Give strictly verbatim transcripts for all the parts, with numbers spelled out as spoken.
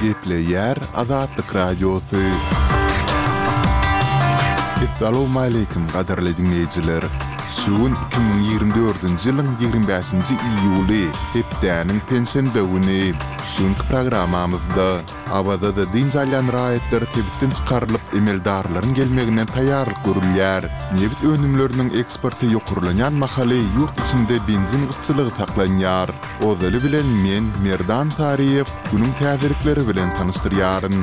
Gepleýär Azatlyk Radiosy. Essalawmaleýkim gadyrly diňleýjiler! Şu gün iki müň ýigrimi dördünji ýylyň ýigrimi bäşinji iýuly, hepdäniň penşenbe güni. Şu günki programmamyzda Awazada dynç alýan raýatlar sebitden çykarylyp, emeldarlaryň gelmegine taýýarlyk görülýär. Nebit önümleriniň eksporty ýokarlanýan mahaly ýurt içinde benzin gytçylygy saklanýar. Ozaly bilen men, Merdan Saryýew, günüň täzelikleri bilen tanyşdyrýaryn.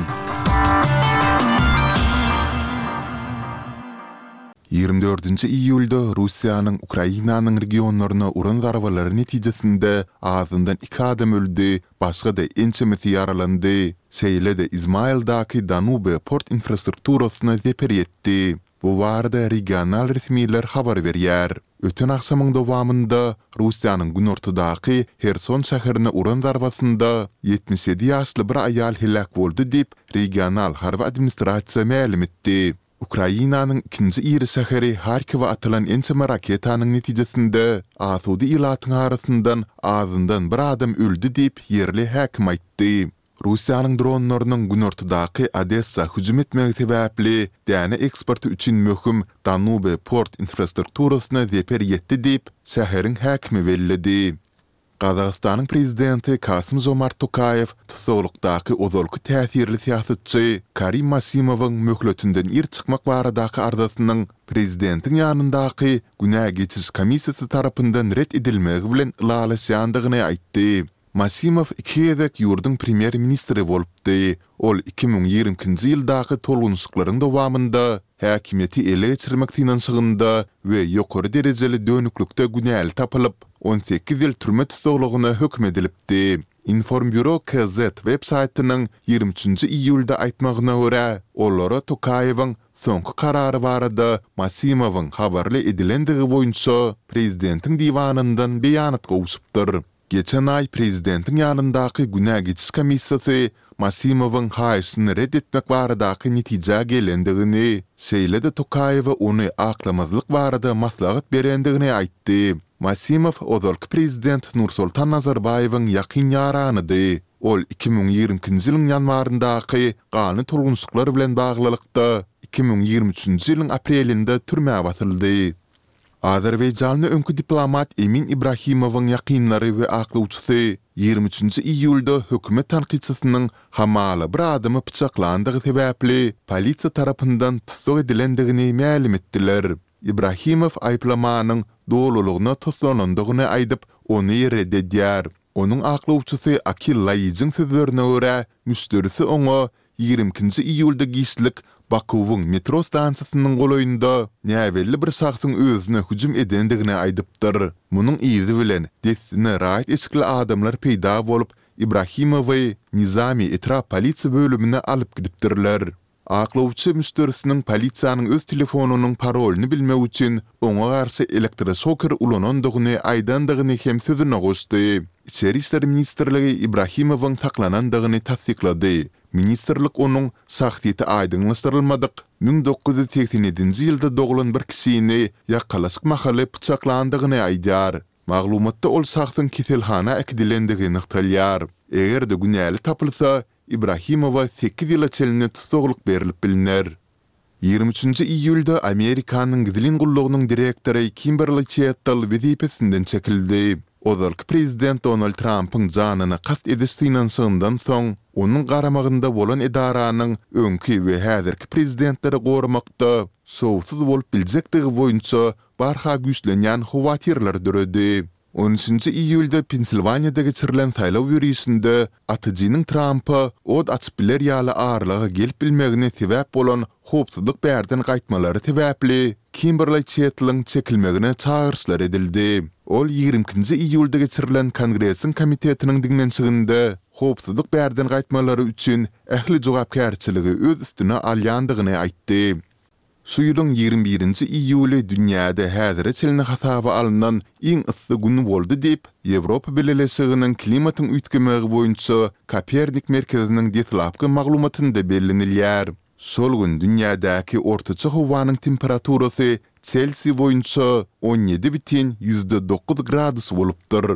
Ýigrimi dördünji iýulda Russiýanyň Ukrainanyň regionlaryna uran zarbalary netijesinde azyndan iki adam öldi, başga-da ençemesi ýaralandy. Şeýle-de Izmaildaky Danube port infrastrukturasyna zeper ýetdi. Bu barada regional resmiler habar berýär. Öten agşamyň dowamynda Russiýanyň günortadaky Herson şäherine uran zarbasynda ýetmiş ýedi ýaşly bir aýal heläk boldy diýip, regional harby administrasiýa mälim etdi. Ukrainanyň ikinji iri şäheri Harkowa atylan ençeme raketanyň netijesinde asuda ilatyň arasyndan azyndan bir adam öldi diýip, ýerli häkim aýtdy. Russiýanyň dronlarynyň günortadaky Odessa hüjüm etmegi sebäpli däne eksporty üçin möhüm Danube port infrastrukturasyna zeper ýetdi diýip, şäheriň häkimi belledi. Gazagystanyň prezidenti Kasym-Žomart Tokaýew tussaglykdaky ozalky täsirli syýasatçy Karim Masimowyň möhletinden ir çykmak baradaky arzasynyň prezidentiň ýanyndaky günä geçiş komissiýasy tarapyndan ret edilmegi bilen ylalaşýandygyny aýtdy. Masimow iki gezek ýurduň premýer-ministri bolupdy. Ol iki müň ýigrimi ikinji ýyldaky tolgunyşyklaryň dowamynda häkimiýeti ele geçirmek synanyşygynda we ýokary derejeli dönüklikde günäli tapylyp, on sekiz ýyl türme tussaglygyna höküm edilipdi. Informburo KZ web saýtynyň ýigrimi üçünji iýulda aýtmagyna görä, olara Tokaýewiň soňky karary barada Masimowyň habarly edilendigi boýunça prezidentiň diwanyndan beýanat gowşupdyr. Geçen aý prezidentiň ýanyndaky günä geçiş komissiýasy Masimowyň haýyşyny ret etmek baradaky netijä gelendigini, şeýle-de Tokaýewe ony aklamazlyk barada maslahat berendigini aýtdy. Masimow ozalky prezident Nursultan Nazarbaýewiň ýakyn ýaranydy. Ol iki müň ýigrimi ikinji ýylyň ýanwaryndaky ganly tolgunyşyklar bilen baglylykda, iki müň ýigrimi üçünji ýylyň aprelinde türmä basyldy. Azerbaýjanly öňki diplomat Emin Ibrahimowyň ýakynlary we aklawçysy ýigrimi üçünji iýulda hökümet tankytçysynyň hamala bir adamy pyçaklandygy sebäpli polisiýa tarapyndan tussag edilendigini mälim etdiler. Ibrahimow aýyplamanyň dolulygyna toslanandygyny aýdyp, ony ret edýär. Onuň aklawçysy Akil Laýijiň sözlerine görä, müşderisi oňa ýigrimi ikinji iýulda giçlik Bakuwyň metro stansiýasynyň golaýynda näbelli bir şahsyň özüne hüjüm edendigini aýdypdyr. Munuň yzy bilen dessine raýat eşikli adamlar peýda bolup, Ibrahimowy Nizami etrap polisiýa bölümine alyp gidipdirler. Aklawçy müşderisiniň polisiýanyň öz telefonynyň parolyny bilmek üçin oňa garşy elektroşoker ulanandygyny aýdandygyny hem sözüne goşdy. Içeri işler ministrligi Ibrahimowyň saklanandygyny tassyklady. Ministrlik onuň şahsyýeti aýdyňlaşdyrylmadyk müň dokuz ýüz segsen ýedinji ýylda doglan bir kişini ýakalaşyk mahaly pyçaklandygyny aýdýar. Maglumatda ol şahsyň keselhana äkidilendigi nygtalýar. Eger-de günäli tapylsa, Ibrahimowa sekiz ýyla çenli tussaglyk berlip bilner. Ýigrimi üçünji iýulda Amerikanyň gizlin gullugynyň direktory Kimberli Çettel wezipesinden çekildi. Ozalky prezident Donald Trampyň janyna kast ediş synanyşygyndan soň, onuň garamagynda bolan edaranyň öňki we häzirki prezidentleri goramakda şowsuz bolup biljekdigi boýunça barha güýçlenýän howatyrlar döredi. On üçünji iýulda Pensilwaniýada geçirilen saýlaw ýörişinde atyjynyň Trampa ot açyp biler ýaly aralyga gelip bilmegine sebäp bolan howpsuzlyk bärden gaýtmalary sebäpli Kimberli Çetliň çekilmegine çagyryşlar edildi. Ol ýigrimi ikinji iýulda geçirilen Kongresiň komitetiniň diňlenişiginde howpsuzlyk bärden gaýtmalary üçin ähli jogapkärçiligi öz üstüne alýandygyny aýtdy. Şu ýylyň ýigrimi birinji iýuly dünýäde häzire çenli hasaba alnan iň yssy gün boldy diýip, Ýewropa Bileleşiginiň klimatyň üýtgemegi boýunça Kopernik merkeziniň deslapky maglumatynda bellenilýär. Şol gün dünýädäki ortaça howanyň temperaturasy Selsiý boýunça on ýedi bütin ýüzde dokuz gradus bolupdyr.